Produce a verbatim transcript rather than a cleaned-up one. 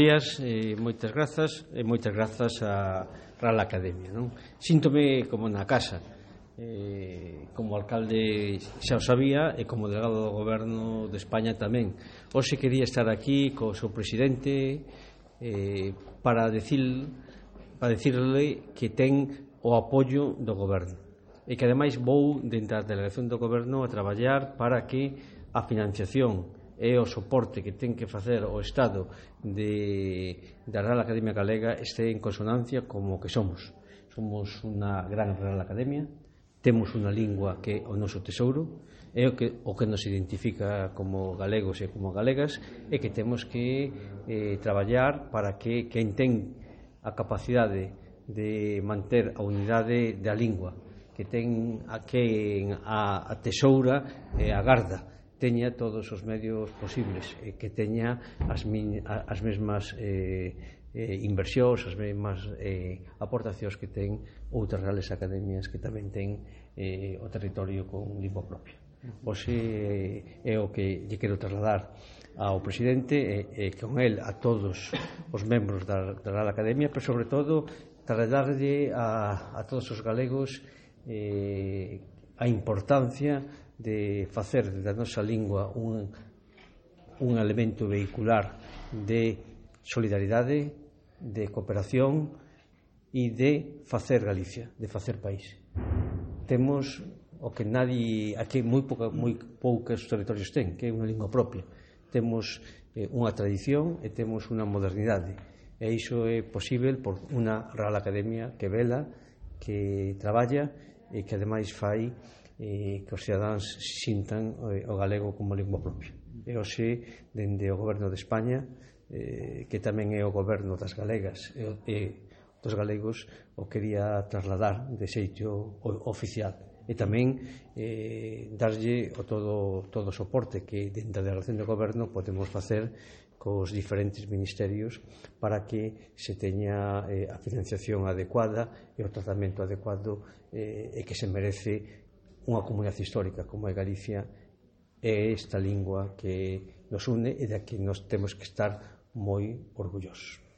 Días, eh, moitas grazas e moitas grazas á Real Academia, non? Síntome como na casa, eh, como alcalde xa o sabía e como delegado do Goberno de España tamén. Hoxe quería estar aquí co seu presidente eh, para decir, para decirle que ten o apoio do Goberno e que ademais vou dentro da delegación do Goberno a traballar para que a financiación e o soporte que ten que facer o Estado de, da Real Academia Galega este en consonancia como que somos. Somos unha gran Real Academia, temos unha lingua que é o noso tesouro, é o que, o que nos identifica como galegos e como galegas, e que temos que eh, traballar para que quen ten a capacidade de manter a unidade da lingua, que ten a quen a, a tesoura e a garda, teña todos os medios posibles e que teña as, min, as mesmas eh, eh, inversións, as mesmas eh, aportacións que ten outras reales academias que tamén ten eh, o territorio con lingua propia. Hoxe é o que lle quero trasladar ao presidente e, e con el a todos os membros da, da Real Academia, pero sobre todo trasladarlle a, a todos os galegos eh, a importancia de facer da nosa lingua un, un elemento vehicular de solidaridade, de cooperación e de facer Galicia, de facer país. Temos o que nadie, aquí moi, pouca, moi poucos territorios ten, que é unha lingua propia. Temos eh, unha tradición e temos unha modernidade. E iso é posible por unha Real Academia que vela, que traballa e que ademais fai eh, que os cidadáns sintan eh, o galego como lingua propia. E hoxe, dende o Goberno de España, eh, que tamén é o Goberno das galegas e, e dos galegos, o quería trasladar de xeito oficial e tamén eh, darlle o todo, todo o soporte que dentro da relación do Goberno podemos facer cos diferentes ministerios para que se teña eh, a financiación adecuada e o tratamento adecuado eh, e que se merece unha comunidade histórica como é Galicia e esta lingua que nos une e da que nos temos que estar moi orgullosos.